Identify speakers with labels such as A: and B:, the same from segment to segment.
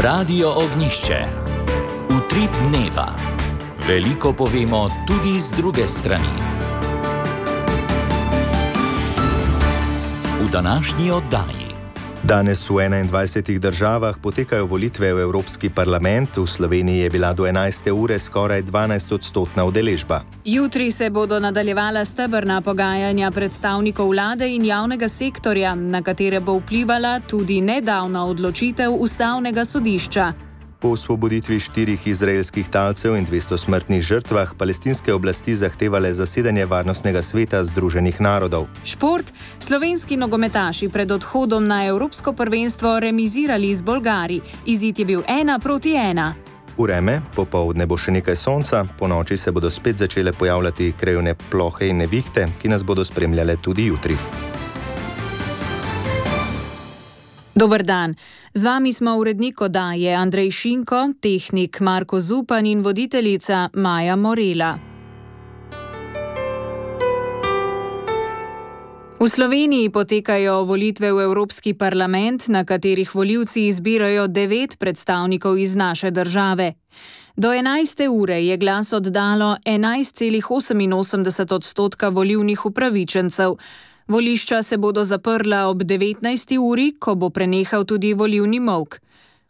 A: Radio Ognjišče. Utrip dneva. Veliko povemo tudi z druge strani. V današnji oddaji.
B: Danes v 21 državah potekajo volitve v Evropski parlament, v Sloveniji je bila do 11. ure skoraj 12-odstotna udeležba.
C: Jutri se bodo nadaljevala stebrna pogajanja predstavnikov vlade in javnega sektorja, na katere bo vplivala tudi nedavna odločitev Ustavnega sodišča.
B: Po osvoboditvi 4 izraelskih talcev in 200 smrtnih žrtvah palestinske oblasti zahtevale zasedanje Varnostnega sveta Združenih narodov.
C: Šport. Slovenski nogometaši pred odhodom na Evropsko prvenstvo remizirali z Bolgari. Izid je bil 1-1.
B: Vreme, popoldne bo še nekaj sonca, ponoči se bodo spet začele pojavljati krajevne plohe in nevihte, ki nas bodo spremljale tudi jutri.
C: Dober dan. Z vami smo urednik oddaje Andrej Šinko, tehnik Marko Zupan in voditeljica Maja Morela. V Sloveniji potekajo volitve v Evropski parlament, na katerih volivci izbirajo 9 predstavnikov iz naše države. Do 11. ure je glas oddalo 11,88% volilnih upravičencev. Volišča se bodo zaprla ob 19. uri, ko bo prenehal tudi volilni molk.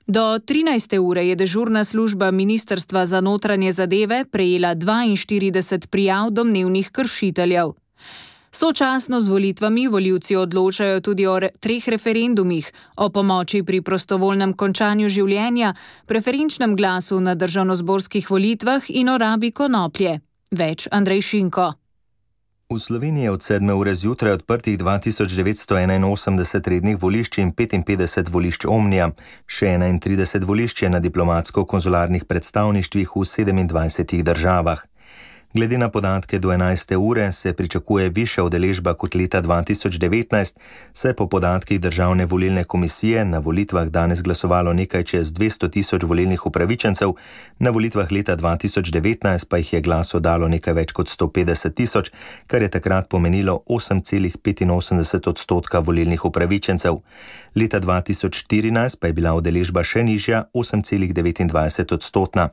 C: Do 13. ure je dežurna služba Ministrstva za notranje zadeve prejela 42 prijav domnevnih kršiteljev. Sočasno z volitvami volivci odločajo tudi o 3 referendumih, o pomoči pri prostovoljnem končanju življenja, preferenčnem glasu na državnozborskih volitvah in o rabi konoplje. Več Andrej Šinko.
B: V Sloveniji je od 7. ure zjutraj odprtih 2981 rednih volišč in 55 volišč Omnija, še 31 volišč je na diplomatsko-konzularnih predstavništvih v 27 državah. Glede na podatke do 11. ure se pričakuje višja udeležba kot leta 2019, saj po podatkih Državne volilne komisije na volitvah danes glasovalo nekaj čez 200 000 volilnih upravičencev, na volitvah leta 2019 pa jih je glas oddalo nekaj več kot 150 000, kar je takrat pomenilo 8,85% volilnih upravičencev. Leta 2014 pa je bila udeležba še nižja, 8,29%.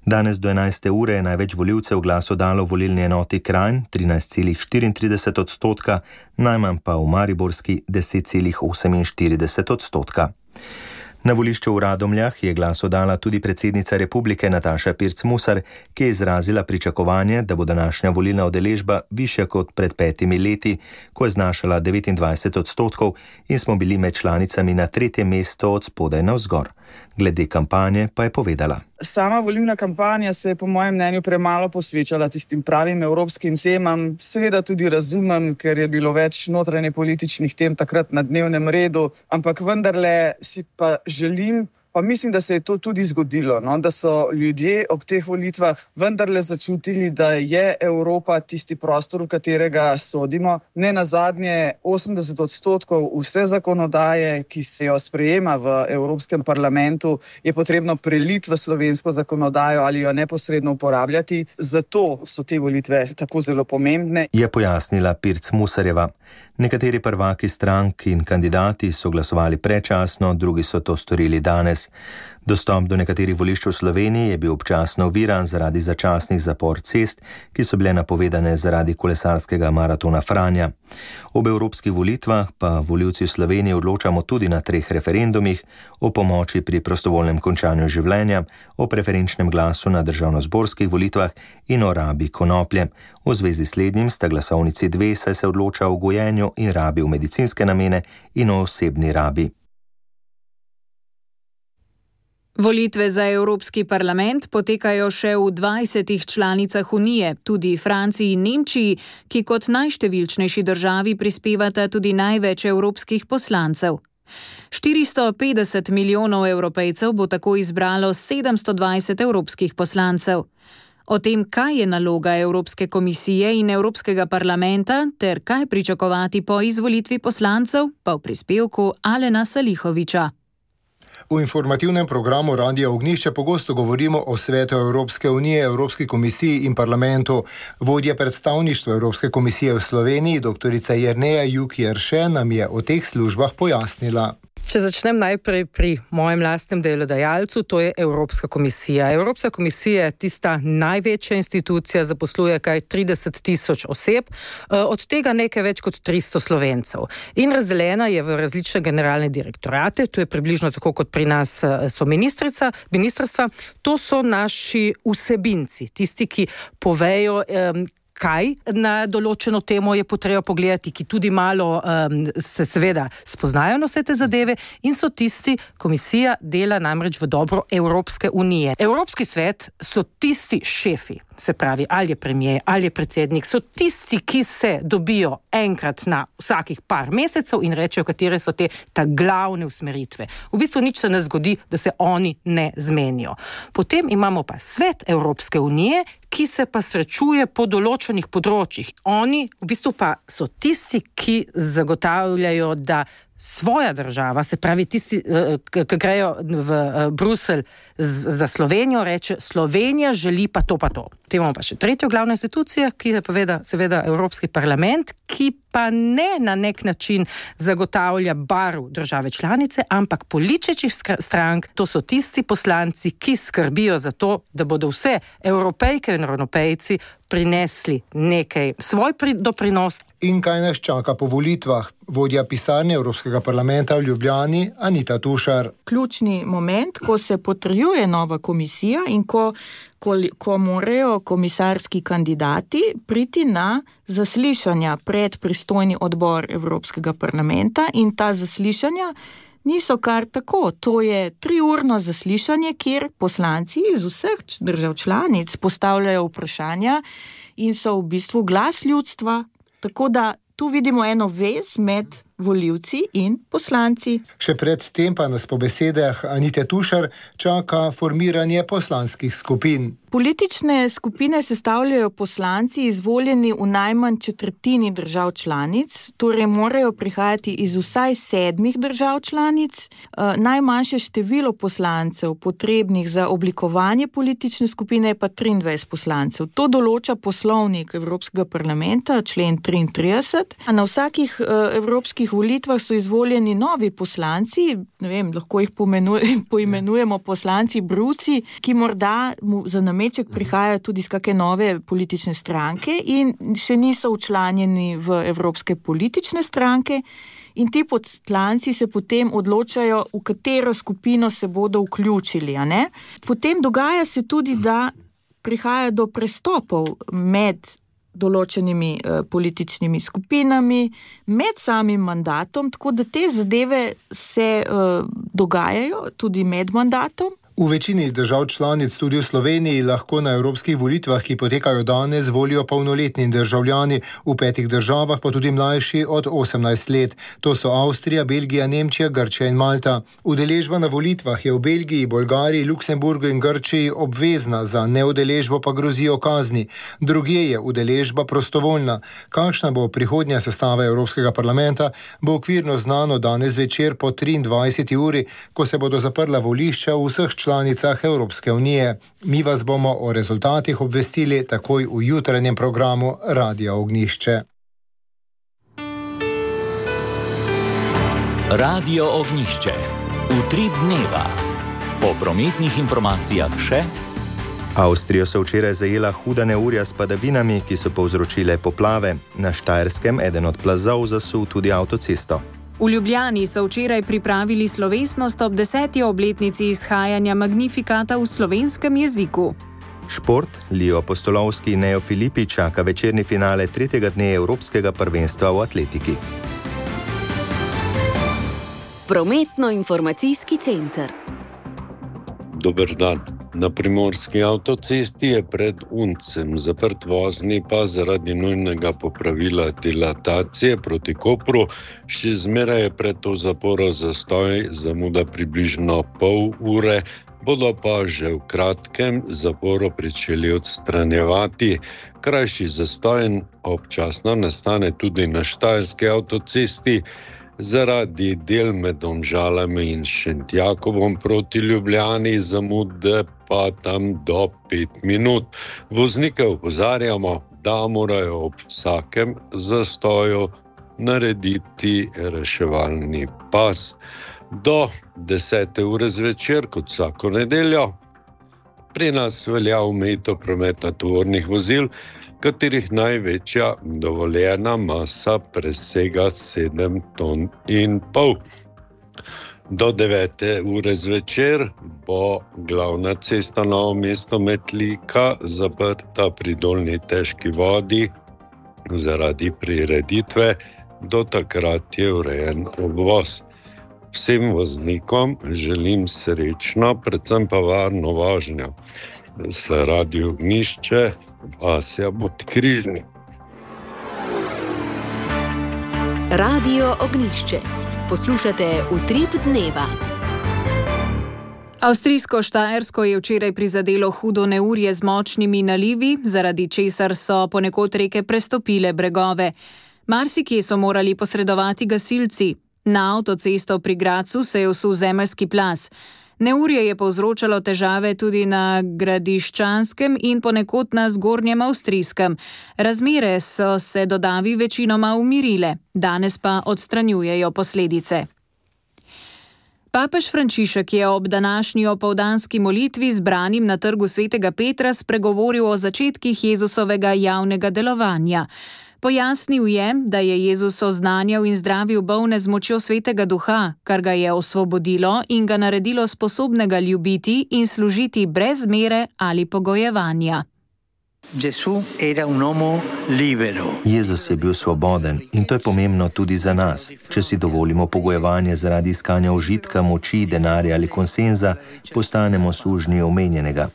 B: Danes do 11. ure je največ volivcev glas oddalo volilni enoti Kranj 13,34%, najmanj pa v mariborski 10,48%. Na volišču v Radomljah je glas oddala tudi predsednica Republike Nataša Pirc Musar, ki je izrazila pričakovanje, da bo današnja volilna udeležba višja kot pred 5 leti, ko je znašala 29% in smo bili med članicami na 3. mesto od spodaj navzgor. Glede kampanje pa je povedala.
D: Sama volilna kampanja se je po mojem mnenju premalo posvečala tistim pravim evropskim temam. Seveda tudi razumem, ker je bilo več notranje političnih tem takrat na dnevnem redu, ampak vendarle si pa želim, pa mislim, da se je to tudi zgodilo, da so ljudje ob teh volitvah vendarle začutili, da je Evropa tisti prostor, v katerega sodimo. Ne nazadnje 80% vse zakonodaje, ki se jo sprejema v Evropskem parlamentu, je potrebno preliti v slovensko zakonodajo ali jo neposredno uporabljati. Zato so te volitve tako zelo pomembne.
B: Je pojasnila Pirc Musarjeva. Nekateri prvaki strank in kandidati so glasovali predčasno, drugi so to storili danes. Dostop do nekaterih volišč v Sloveniji je bil občasno oviran zaradi začasnih zapor cest, ki so bile napovedane zaradi kolesarskega maratona Franja. Ob evropskih volitvah pa volivci v Sloveniji odločamo tudi na 3 referendumih, o pomoči pri prostovoljnem končanju življenja, o preferenčnem glasu na državnozborskih volitvah in o rabi konoplje. V zvezi s slednjim sta glasovnici 2, saj se odloča o gojenju in rabi v medicinske namene in o osebni rabi.
C: Volitve za Evropski parlament potekajo še v 20 članicah Unije, tudi Franciji in Nemčiji, ki kot najštevilčnejši državi prispevata tudi največ evropskih poslancev. 450 milijonov Evropejcev bo tako izbralo 720 evropskih poslancev. O tem, kaj je naloga Evropske komisije in Evropskega parlamenta ter kaj pričakovati po izvolitvi poslancev, pa v prispevku Alena Salihoviča.
E: V informativnem programu Radia Ognjišče pogosto govorimo o Svetu Evropske unije, Evropski komisiji in parlamentu. Vodja predstavništva Evropske komisije v Sloveniji, dr. Jerneja Juk Jerše, nam je o teh službah pojasnila.
F: Če začnem najprej pri mojem lastnem delodajalcu, to je Evropska komisija. Evropska komisija je tista največja institucija, zaposluje kaj 30 000 oseb, od tega nekaj več kot 300 Slovencev. In razdeljena je v različne generalne direktorate, to je približno tako kot pri nas so ministrstva. To so naši vsebinci, tisti, ki povejo, kaj na določeno temo je potreba pogledati, ki tudi malo se seveda spoznajo na vse te zadeve in so tisti, komisija dela namreč v dobro Evropske unije. Evropski svet so tisti šefi, se pravi, ali je premier, ali je predsednik, so tisti, ki se dobijo enkrat na vsakih par mesecev in rečejo, katere so te glavne usmeritve. V bistvu nič se ne zgodi, da se oni ne zmenijo. Potem imamo pa svet Evropske unije, ki se pa srečuje po določenih področjih. Oni v bistvu pa so tisti, ki zagotavljajo, da svoja država, se pravi tisti, ki grejo v Bruselj za Slovenijo, reče, Slovenija želi pa to. Potem imamo pa še tretjo glavno institucijo, ki je seveda Evropski parlament, ki pa ne na nek način zagotavlja barv države članice, ampak političnih strank. To so tisti poslanci, ki skrbijo za to, da bodo vse Evropejke in Evropejci prinesli nekaj svoj doprinos.
E: In kaj nas čaka po volitvah? Vodja pisarne Evropskega parlamenta v Ljubljani, Anita Tušar.
G: Ključni moment, ko se potrjuje nova komisija in ko morajo komisarski kandidati priti na zaslišanja pred pristojni odbor Evropskega parlamenta in ta zaslišanja niso kar tako. To je 3-urno zaslišanje, kjer poslanci iz vseh držav članic postavljajo vprašanja in so v bistvu glas ljudstva. Tako da tu vidimo eno vez med volivci in poslanci.
E: Še pred tem pa nas po besedah Anite Tušar čaka formiranje poslanskih skupin.
G: Politične skupine sestavljajo poslanci izvoljeni v najmanj četrtini držav članic, torej morajo prihajati iz vsaj 7 držav članic. Najmanjše število poslancev potrebnih za oblikovanje politične skupine je pa 23 poslancev. To določa poslovnik Evropskega parlamenta, člen 33. Na vsakih evropskih volitvah so izvoljeni novi poslanci, ne vem, lahko jih poimenujemo poslanci bruci, ki morda za nameček prihajajo tudi iz kakšne nove politične stranke in še niso včlanjeni v evropske politične stranke. In ti poslanci se potem odločajo, v katero skupino se bodo vključili. A ne? Potem dogaja se tudi, da prihaja do prestopov med določenimi političnimi skupinami, med samim mandatom, tako da te zadeve se dogajajo tudi med mandatom.
E: V večini držav članic, tudi v Sloveniji, lahko na evropskih volitvah, ki potekajo danes, volijo polnoletni državljani, v 5 državah pa tudi mlajši od 18 let. To so Avstrija, Belgija, Nemčija, Grčija in Malta. Udeležba na volitvah je v Belgiji, Bolgariji, Luksemburgu in Grčiji obvezna, za neudeležbo pa grozijo kazni. Drugje je udeležba prostovoljna. Kakšna bo prihodnja sestava Evropskega parlamenta, bo okvirno znano danes večer po 23. uri, ko se bodo zaprla volišča v vseh članicah Evropske unije. Mi vas bomo o rezultatih obvestili takoj v jutranjem programu Radia Ognjišče.
A: Radio Ognjišče. Utrip dneva. Po prometnih informacijah še.
B: Avstrijo so včeraj zajela huda neurja s padavinami, ki so povzročile poplave. Na Štajerskem eden od plazov zasul tudi avtocesto.
C: V Ljubljani so včeraj pripravili slovesnost ob 10. obletnici izhajanja Magnifikata v slovenskem jeziku.
B: Šport, Lio Postolovski in Neo Filipi čaka večerni finale 3. dne Evropskega prvenstva v atletiki.
H: Prometno-informacijski center.
I: Dober dan. Na primorski avtocesti je pred Uncem zaprt vozni pas zaradi nujnega popravila dilatacije proti Kopru. Še zmeraj je pred to zaporo zastoj, zamuda približno pol ure, bodo pa že v kratkem zaporo pričeli odstranjevati. Krajši zastoj občasno nastane tudi na Štajerski avtocesti, zaradi del med Domžalami in Šentjakovom proti Ljubljani, zamude pa tam do 5 minut. Voznike opozarjamo, da morajo ob vsakem zastoju narediti reševalni pas. Do 10. ure zvečer, kot vsako nedeljo, pri nas velja omejitev prometa tovornih vozil, katerih največja dovoljena masa presega 7,5 ton. Do 9. ure zvečer bo glavna cesta Novo mesto-Metlika zaprta pri Dolnji težki vodi zaradi prireditve. Do takrat je urejen obvoz. Vsem voznikom želim srečno, predvsem pa varno vožnjo. Za Radio Ognjišče, Vasja Podkrižnik.
H: Radio Ognjišče. Poslušate Utrip dneva.
C: Avstrijsko Štajersko je včeraj prizadelo hudo neurje z močnimi nalivi, zaradi česar so ponekod reke prestopile bregove. Marsikje so morali posredovati gasilci. Na avtocesto pri Gradcu se je vsul zemeljski plaz. Neurje je povzročalo težave tudi na Gradiščanskem in ponekod na Zgornjem Avstrijskem. Razmere so se do davi večinoma umirile, danes pa odstranjujejo posledice. Papež Frančišek je ob današnji opoldanski molitvi zbranim na trgu Svetega Petra spregovoril o začetkih Jezusovega javnega delovanja. Pojasnil je, da je Jezus oznanjal in zdravil bolne z močjo Svetega Duha, kar ga je osvobodilo in ga naredilo sposobnega ljubiti in služiti brez mere ali pogojevanja.
B: Jezus je bil svoboden in to je pomembno tudi za nas. Če si dovolimo pogojevanje zaradi iskanja užitka, moči, denarja ali konsenza, postanemo sužnji omenjenega.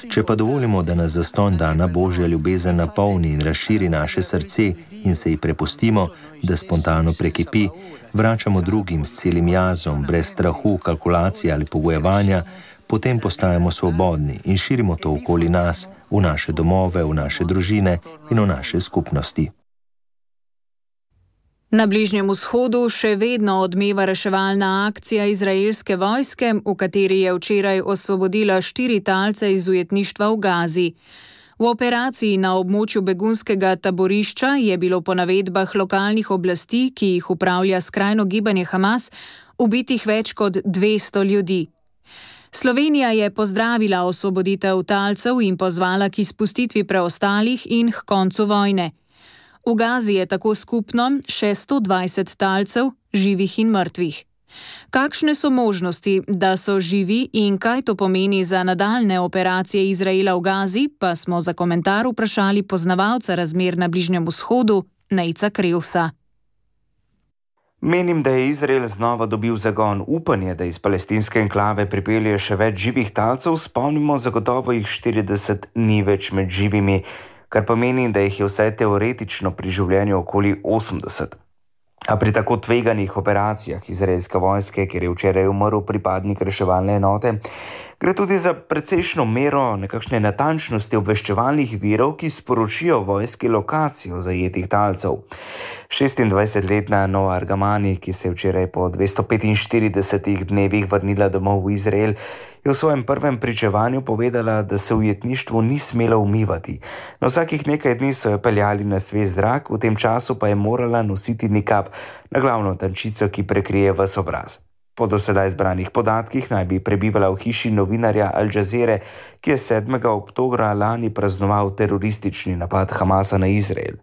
B: Če pa dovolimo, da nas zastonj dana Božja ljubezen napolni in razširi naše srce in se ji prepustimo, da spontano prekipi, vračamo drugim s celim jazom, brez strahu, kalkulacije ali pogojevanja, potem postajamo svobodni in širimo to okoli nas, v naše domove, v naše družine in v naše skupnosti.
C: Na Bližnjem vzhodu še vedno odmeva reševalna akcija izraelske vojske, v kateri je včeraj osvobodila 4 talce iz ujetništva v Gazi. V operaciji na območju begunskega taborišča je bilo po navedbah lokalnih oblasti, ki jih upravlja skrajno gibanje Hamas, ubitih več kot 200 ljudi. Slovenija je pozdravila osvoboditev talcev in pozvala k izpustitvi preostalih in k koncu vojne. V Gazi je tako skupno še 120 talcev, živih in mrtvih. Kakšne so možnosti, da so živi in kaj to pomeni za nadaljne operacije Izraela v Gazi, pa smo za komentar vprašali poznavalca razmer na Bližnjem vzhodu, Nejca Krevsa.
J: Menim, da je Izrael znova dobil zagon. Upanje, da iz palestinske enklave pripelje še več živih talcev, spomnimo, zagotovo jih 40 ni več med živimi, kar pomeni, da jih je vsaj teoretično pri življenju okoli 80. A pri tako tveganih operacijah izraelske vojske, kjer je včeraj umrl pripadnik reševalne enote, gre tudi za precejšno mero nekakšne natančnosti obveščevalnih virov, ki sporočijo vojski lokacijo zajetih talcev. 26-letna Noa Argamani, ki se je včeraj po 245 dnevih vrnila domov v Izrael, je v svojem prvem pričevanju povedala, da se v ujetništvu ni smela umivati. Na vsakih nekaj dni so jo peljali na svež zrak, v tem času pa je morala nositi nikab, na glavno tančico, ki prekrije ves obraz. Po dosedaj zbranih podatkih naj bi prebivala v hiši novinarja Al Jazeere, ki je 7. oktobra lani praznoval teroristični napad Hamasa na Izrael.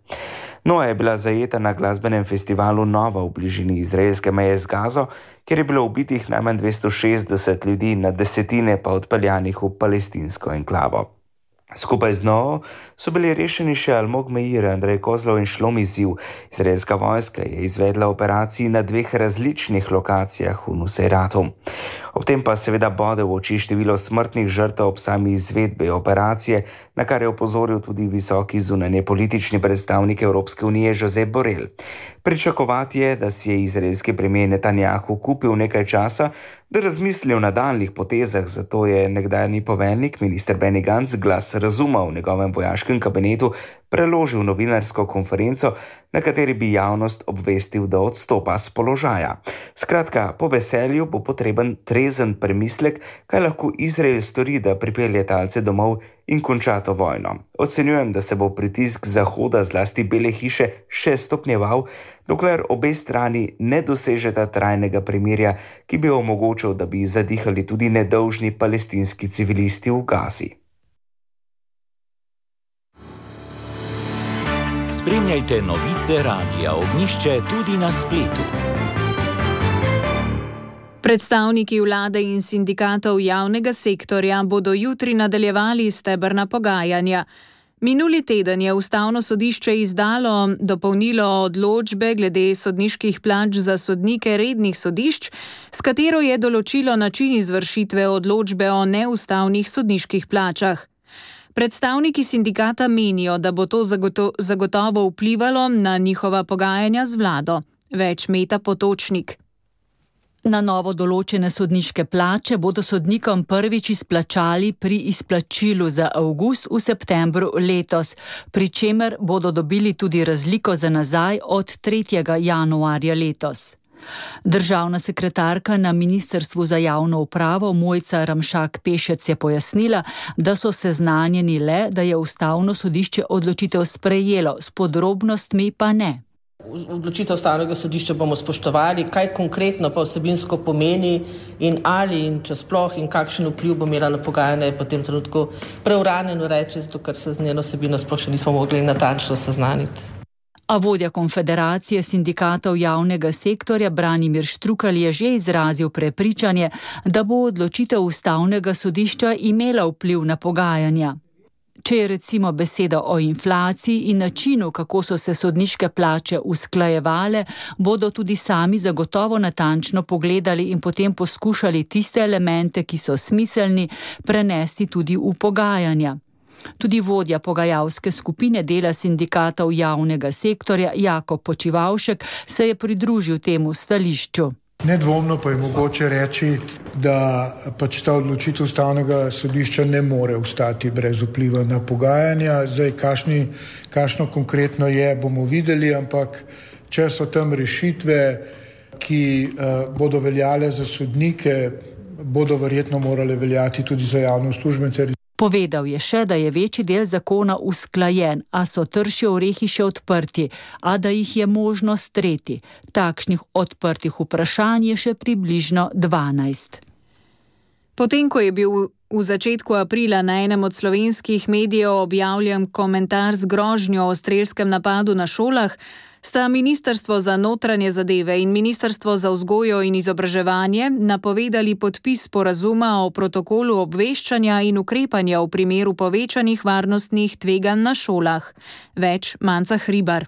J: Noa je bila zajeta na glasbenem festivalu Nova v bližini izraelske meje z Gazo, kjer je bilo ubitih najmanj 260 ljudi, na desetine pa odpeljanih v palestinsko enklavo. Skupaj z Novo so bili rešeni še Almog Meir, Andrej Kozlov in Šlomi Ziv. Izraelska vojska je izvedla operaciji na 2 različnih lokacijah v Nusejratu. Ob tem pa seveda bode v oči število smrtnih žrtev ob sami izvedbi operacije, na kar je opozoril tudi visoki zunanje politični predstavnik Evropske unije Josep Borrell. Pričakovati je, da si je izraelski premijer Netanjahu kupil nekaj časa, da razmisli o nadaljnjih potezah, zato je nekdanji poveljnik, minister Benny Gantz, glas razuma v njegovem vojaškem kabinetu preložil novinarsko konferenco, na kateri bi javnost obvestil, da odstopa s položaja. Skratka, po veselju bo potreben trezen premislek, kaj lahko Izrael stori, da pripelje talce domov in konča to vojno. Ocenjujem, da se bo pritisk Zahoda, zlasti Bele hiše, še stopnjeval, dokler obe strani ne dosežeta trajnega premirja, ki bi omogočil, da bi zadihali tudi nedolžni palestinski civilisti v Gazi.
A: Spremljajte novice Radia Ognjišče tudi na spletu.
C: Predstavniki vlade in sindikatov javnega sektorja bodo jutri nadaljevali stebrna pogajanja. Minuli teden je Ustavno sodišče izdalo dopolnilo odločbe glede sodniških plač za sodnike rednih sodišč, s katero je določilo način izvršitve odločbe o neustavnih sodniških plačah. Predstavniki sindikata menijo, da bo to zagotovo vplivalo na njihova pogajanja z vlado. Več Meta Potočnik.
K: Na novo določene sodniške plače bodo sodnikom prvič izplačali pri izplačilu za avgust v septembru letos, pri čemer bodo dobili tudi razliko za nazaj od 3. januarja letos. Državna sekretarka na Ministrstvu za javno upravo Mojca Ramšak Pešec je pojasnila, da so seznanjeni le, da je Ustavno sodišče odločitev sprejelo, s podrobnostmi pa ne.
L: Odločitev Ustavnega sodišča bomo spoštovali, kaj konkretno pa vsebinsko pomeni in ali in če sploh in kakšen vpliv bo imela na pogajanje, je po tem trenutku preuranjeno reči, zato ker se z njeno vsebino sploh še nismo mogli natančno seznaniti.
K: A vodja Konfederacije sindikatov javnega sektorja Branimir Štrukelj je že izrazil prepričanje, da bo odločitev Ustavnega sodišča imela vpliv na pogajanja. Če je recimo beseda o inflaciji in načinu, kako so se sodniške plače usklajevale, bodo tudi sami zagotovo natančno pogledali in potem poskušali tiste elemente, ki so smiselni, prenesti tudi v pogajanja. Tudi vodja pogajalske skupine dela sindikatov javnega sektorja Jakob Počivavšek se je pridružil temu stališču.
M: Nedvomno pa je mogoče reči, da pač ta odločitev Ustavnega sodišča ne more ostati brez vpliva na pogajanja. Zdaj, kakšno konkretno je, bomo videli, ampak če so tam rešitve, ki bodo veljale za sodnike, bodo verjetno morale veljati tudi za javne uslužbence.
K: Povedal je še, da je večji del zakona usklajen, a so trši orehi še odprti, a da jih je možno streti. Takšnih odprtih vprašanj je še približno 12.
C: Potem, ko je bil v začetku aprila na enem od slovenskih medijev objavljen komentar z grožnjo o strelskem napadu na šolah, sta Ministrstvo za notranje zadeve in Ministrstvo za vzgojo in izobraževanje napovedali podpis sporazuma o protokolu obveščanja in ukrepanja v primeru povečanih varnostnih tveganj na šolah. Več Manca Hribar.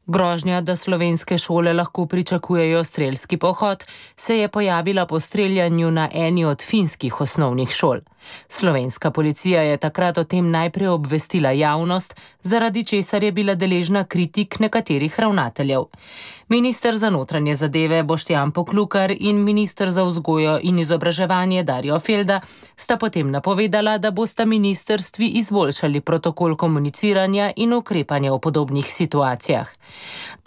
N: Grožnja, da slovenske šole lahko pričakujejo strelski pohod, se je pojavila po streljanju na eni od finskih osnovnih šol. Slovenska policija je takrat o tem najprej obvestila javnost, zaradi česar je bila deležna kritik nekaterih ravnateljev. Minister za notranje zadeve Boštjan Poklukar in minister za vzgojo in izobraževanje Darjo Felda sta potem napovedala, da bosta ministrstvi izboljšali protokol komuniciranja in ukrepanja v podobnih situacijah.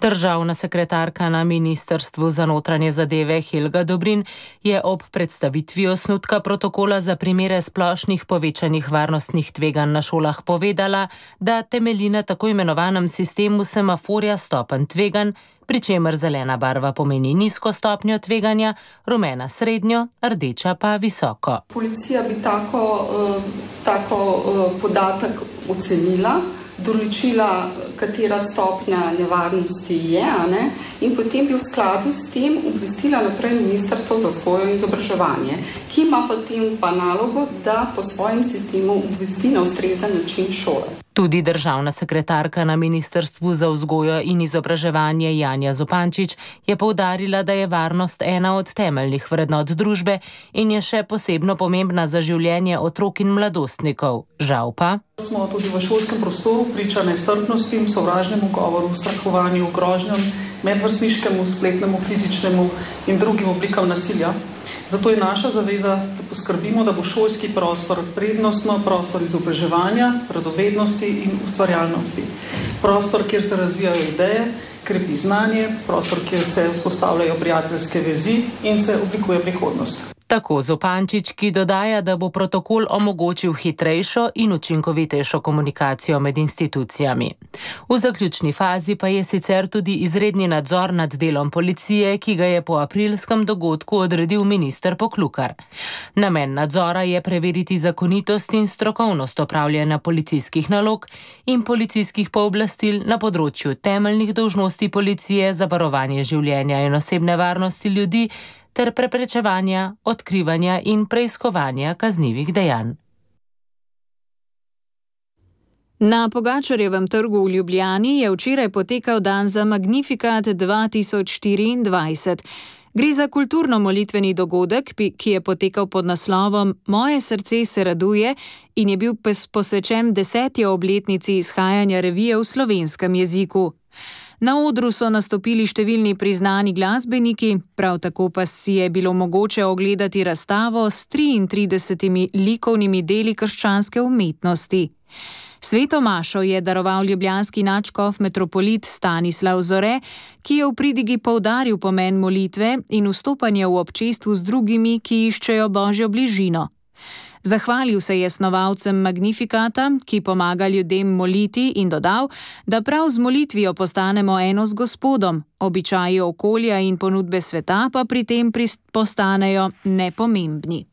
N: Državna sekretarka na Ministrstvu za notranje zadeve Helga Dobrin je ob predstavitvi osnutka protokola za primere splošnih povečanih varnostnih tveganj na šolah povedala, da temelji na tako imenovanem sistemu semaforja stopenj tveganj, pri čemer zelena barva pomeni nizko stopnjo tveganja, rumena srednjo, rdeča pa visoko.
O: Policija bi tako podatek ocenila, določila, katera stopnja nevarnosti je, in potem bi v skladu s tem obvestila naprej Ministrstvo za vzgojo in izobraževanje, ki ima potem pa nalogo, da po svojem sistemu obvesti na ustrezen način šole.
N: Tudi državna sekretarka na Ministrstvu za vzgojo in izobraževanje Janja Zupančič je poudarila, da je varnost ena od temeljnih vrednot družbe in je še posebno pomembna za življenje otrok in mladostnikov. Žal pa
O: smo tudi v šolskem prostoru priča nestrpnosti, sovražnemu govoru, strahovanju, grožnjam
P: medvrstniškemu, spletnemu, fizičnemu in drugim oblikam nasilja. Zato je naša zaveza, da poskrbimo, da bo šolski prostor prednostno prostor izobraževanja, radovednosti in ustvarjalnosti. Prostor, kjer se razvijajo ideje, krepi znanje, prostor, kjer se vzpostavljajo prijateljske vezi in se oblikuje prihodnost.
N: Tako Zupančič, ki dodaja, da bo protokol omogočil hitrejšo in učinkovitejšo komunikacijo med institucijami. V zaključni fazi pa je sicer tudi izredni nadzor nad delom policije, ki ga je po aprilskem dogodku odredil minister Poklukar. Namen nadzora je preveriti zakonitost in strokovnost opravljanja policijskih nalog in policijskih pooblastil na področju temeljnih dolžnosti policije za varovanje življenja in osebne varnosti ljudi ter preprečevanja, odkrivanja in preiskovanja kaznivih dejanj.
C: Na Pogačarjevem trgu v Ljubljani je včeraj potekal dan za Magnificat 2024. Gre za kulturno-molitveni dogodek, ki je potekal pod naslovom Moje srce se raduje in je bil posvečen 10. obletnici izhajanja revije v slovenskem jeziku. Na odru so nastopili številni priznani glasbeniki, prav tako pa si je bilo mogoče ogledati razstavo s 33 likovnimi deli krščanske umetnosti. Sveto mašo je daroval ljubljanski nadškof metropolit Stanislav Zore, ki je v pridigi poudaril pomen molitve in vstopanja v občestvu z drugimi, ki iščejo Božjo bližino. Zahvalil se je snovalcem Magnificata, ki pomaga ljudem moliti, in dodal, da prav z molitvijo postanemo eno z Gospodom, običaji okolja in ponudbe sveta pa pri tem postanejo nepomembni.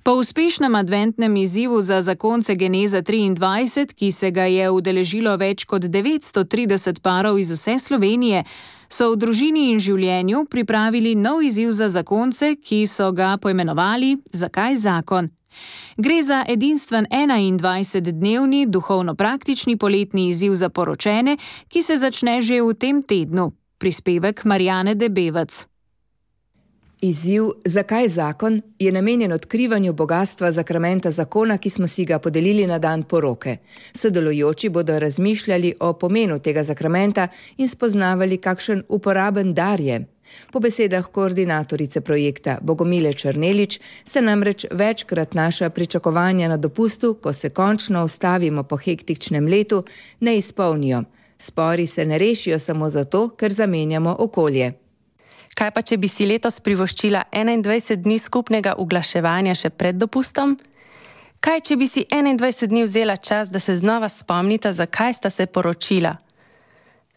C: Po uspešnem adventnem izzivu za zakonce Geneza 23, ki se ga je udeležilo več kot 930 parov iz vse Slovenije, so v družini in življenju pripravili nov izziv za zakonce, ki so ga poimenovali Zakaj zakon? Gre za edinstven 21-dnevni duhovno-praktični poletni izziv za poročene, ki se začne že v tem tednu. Prispevek Marjane Debevec.
Q: Izziv Zakaj zakon je namenjen odkrivanju bogatstva zakramenta zakona, ki smo si ga podelili na dan poroke. Sodelujoči bodo razmišljali o pomenu tega zakramenta in spoznavali, kakšen uporaben dar je. Po besedah koordinatorice projekta Bogomile Črnelič se namreč večkrat naša pričakovanja na dopustu, ko se končno ustavimo po hektičnem letu, ne izpolnijo. Spori se ne rešijo samo zato, ker zamenjamo okolje.
R: Kaj pa, če bi si letos privoščila 21 dni skupnega uglaševanja še pred dopustom? Kaj, če bi si 21 dni vzela čas, da se znova spomnita, zakaj sta se poročila?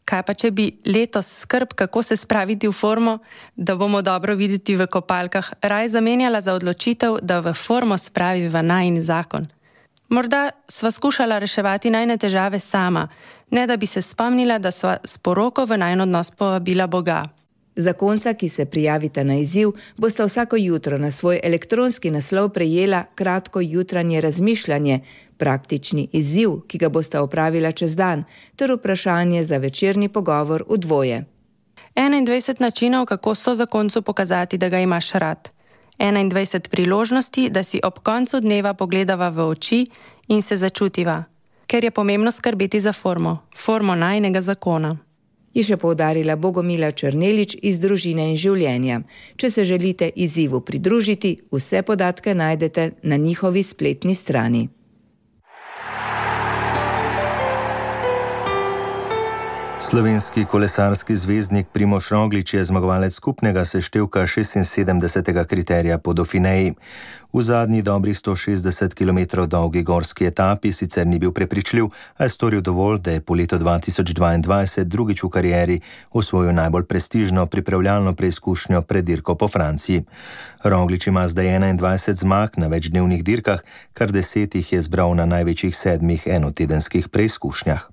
R: Kaj pa, če bi letos skrb, kako se spraviti v formo, da bomo dobro videti v kopalkah, raj zamenjala za odločitev, da v formo spraviva najin zakon? Morda sva skušala reševati najine težave sama, ne da bi se spomnila, da sva s poroko v najin odnos povabila Boga.
Q: Zakonca, ki se prijavita na izziv, bosta vsako jutro na svoj elektronski naslov prejela kratko jutranje razmišljanje, praktični izziv, ki ga bosta opravila čez dan, ter vprašanje za večerni pogovor v dvoje.
R: 21 načinov, kako so zakoncu pokazati, da ga imaš rad. 21 priložnosti, da si ob koncu dneva pogledava v oči in se začutiva, ker je pomembno skrbeti za formo najinega zakona.
Q: Je še poudarila Bogomila Črnelič iz Družine in življenja. Če se želite izzivu pridružiti, vse podatke najdete na njihovi spletni strani.
B: Slovenski kolesarski zvezdnik Primož Roglič je zmagovalec skupnega seštevka 76. kriterija po Dauphineji. V zadnji dobrih 160 km dolgi gorski etapi sicer ni bil prepričljiv, a je storil dovolj, da je po letu 2022 drugič v karieri osvojil najbolj prestižno pripravljalno preizkušnjo pred dirko po Franciji. Roglič ima zdaj 21 zmag na večdnevnih dirkah, kar 10 jih je zbral na največjih 7 enotedenskih preizkušnjah.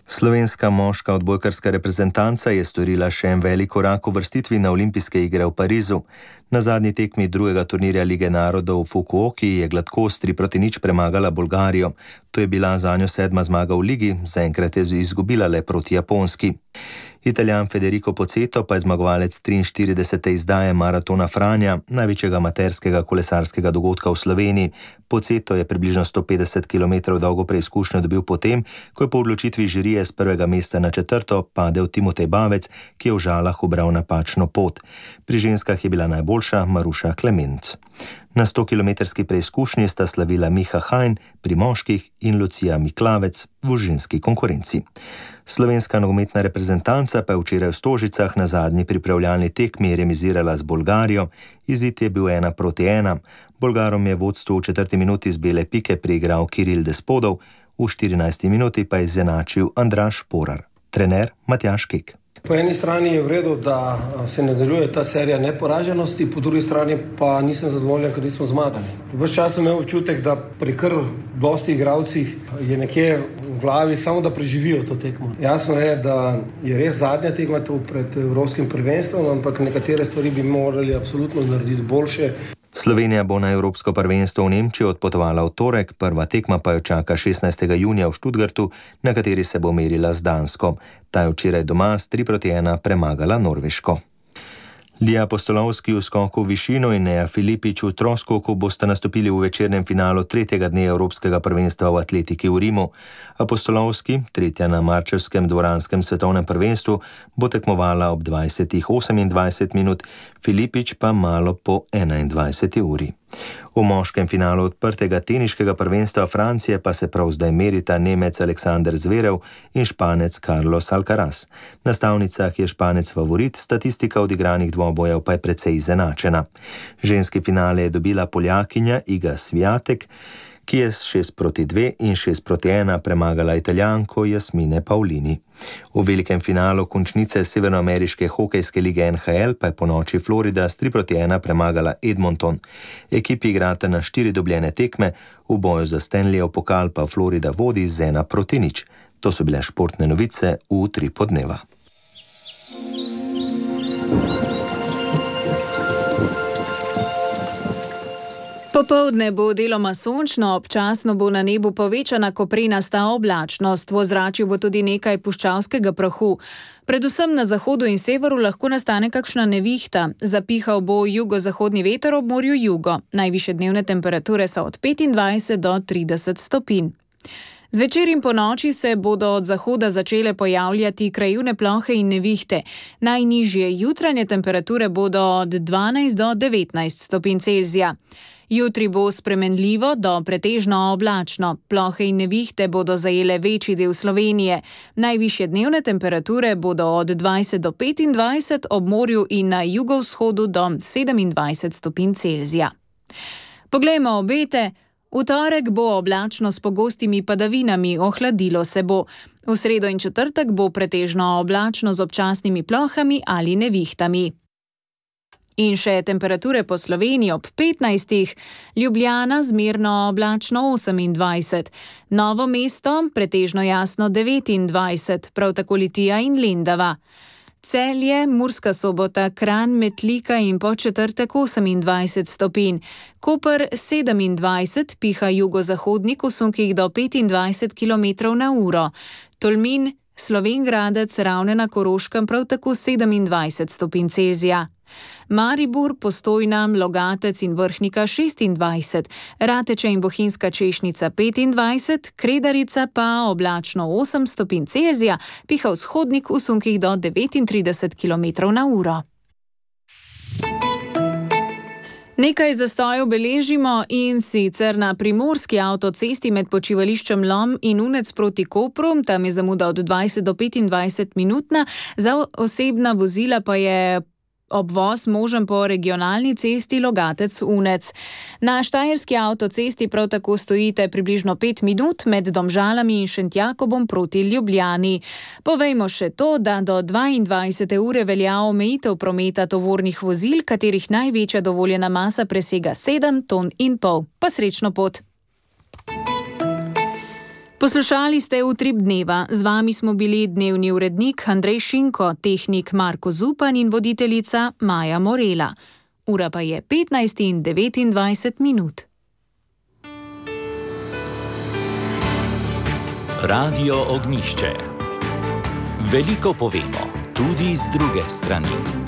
B: Slovenska moška odbojkarska reprezentanca je storila še en velik korak v vrstitvi na olimpijske igre v Parizu. Na zadnji tekmi drugega turnirja Lige narodov v Fukuoki je gladkost 3-0 premagala Bolgarijo. To je bila zanjo 7. zmaga v ligi, zaenkrat je izgubila le proti Japonski. Italijan Federico Pozzetto pa je zmagovalec 43. izdaje Maratona Franja, največjega amaterskega kolesarskega dogodka v Sloveniji. Pozzetto je približno 150 km dolgo preizkušnjo dobil potem, ko je po odločitvi žirije z prvega mesta na 4. padel Timotej Bavec, ki je v Žalah ubral napačno pot. Pri ženskah je bila najboljša Maruša Klemenc. Na 100-kilometrski preizkušnji sta slavila Miha Hajn pri moških in Lucija Miklavec v ženski konkurenci. Slovenska nogometna reprezentanca pa je včeraj v Stožicah na zadnji pripravljalni tekmi remizirala z Bolgarijo. Izid je bil 1-1. Bolgarom je vodstvo v 4. minuti z bele pike priigral Kiril Despodov, v 14. minuti pa je izenačil Andraž Porar. Trener Matjaž Kek.
S: Po eni strani je v redu, da se nadaljuje ta serija neporaženosti, po drugi strani pa nisem zadovoljen, ker nismo zmagali. Ves čas sem imel občutek, da pri kar dosti igralcih je nekje v glavi samo da preživijo to tekmo. Jasno je, da je res zadnja tekma tu pred Evropskim prvenstvom, ampak nekatere stvari bi morali absolutno narediti boljše.
B: Slovenija bo na Evropsko prvenstvo v Nemčijo odpotovala v torek, prva tekma pa jo čaka 16. junija v Stuttgartu, na kateri se bo merila z Dansko. Ta je včeraj doma s 3-1 premagala Norveško. Lija Postolovski v skoku v višino in Neja Filipič v troskoku bosta nastopili v večernem finalu 3. dne Evropskega prvenstva v atletiki v Rimu. Postolovski, tretja na marčevskem dvoranskem svetovnem prvenstvu, bo tekmovala ob 20:28 minut, Filipič pa malo po 21. uri. V moškem finalu odprtega teniškega prvenstva Francije pa se prav zdaj merita Nemec Aleksander Zverev in Španec Carlos Alcaraz. Na stavnicah je Španec favorit, statistika odigranih dvobojev pa je precej izenačena. Ženski finale je dobila Poljakinja Iga Swiatek, ki je s 6-2 in 6-1 premagala Italijanko Jasmine Paulini. V velikem finalu končnice severnoameriške hokejske lige NHL pa je ponoči Florida s 3-1 premagala Edmonton. Ekipi igrata na 4 dobljene tekme, v boju za Stanleyev pokal pa Florida vodi z 1-0. To so bile športne novice v Utripu dneva.
C: Popoldne bo deloma sončno, občasno bo na nebu povečana koprenasta oblačnost, v ozračju bo tudi nekaj puščavskega prahu. Predvsem na zahodu in severu lahko nastane kakšna nevihta. Zapihal bo jugozahodni veter ob morju jugo. Najvišje dnevne temperature so od 25 do 30 stopinj. Zvečer in ponoči se bodo od zahoda začele pojavljati krajevne plohe in nevihte. Najnižje jutranje temperature bodo od 12 do 19 stopinj Celzija. Jutri bo spremenljivo do pretežno oblačno. Plohe in nevihte bodo zajele večji del Slovenije. Najvišje dnevne temperature bodo od 20 do 25, ob morju in na jugovzhodu do 27 stopinj Celzija. Poglejmo obete. V torek bo oblačno s pogostimi padavinami, ohladilo se bo. V sredo in četrtek bo pretežno oblačno z občasnimi plohami ali nevihtami. In še temperature po Sloveniji ob 15, Ljubljana zmerno oblačno 28, Novo mesto pretežno jasno 29, prav tako Litija in Lendava. Celje, Murska Sobota, Kranj, Metlika in po četrtek 28 stopinj. Koper 27, piha jugozahodnik v sunkih do 25 km/h. Tolmin, Slovenj Gradec, Ravne na Koroškem prav tako 27 stopinj Celzija. Maribor, Postojna, Logatec in Vrhnika 26, Rateče in Bohinjska Češnica 25, Kredarica pa oblačno 8 stopinj Celzija, piha vzhodnik v sunkih do 39 km/h. Nekaj zastojev beležimo, in sicer na primorski avtocesti med počivališčem Lom in Unec proti Kopru, tam je zamuda od 20 do 25 minutna, za osebna vozila pa je obvoz možen po regionalni cesti Logatec-Unec. Na štajerski avtocesti prav tako stojite približno 5 minut med Domžalami in Šentjakobom proti Ljubljani. Povejmo še to, da do 22. ure velja omejitev prometa tovornih vozil, katerih največja dovoljena masa presega 7,5 ton. Pa srečno pot! Poslušali ste Utrip dneva. Z vami smo bili dnevni urednik Andrej Šinko, tehnik Marko Zupan in voditeljica Maja Morela. Ura pa je 15:29 minut.
A: Radio Ognjišče. Veliko povemo. tudi z druge strani.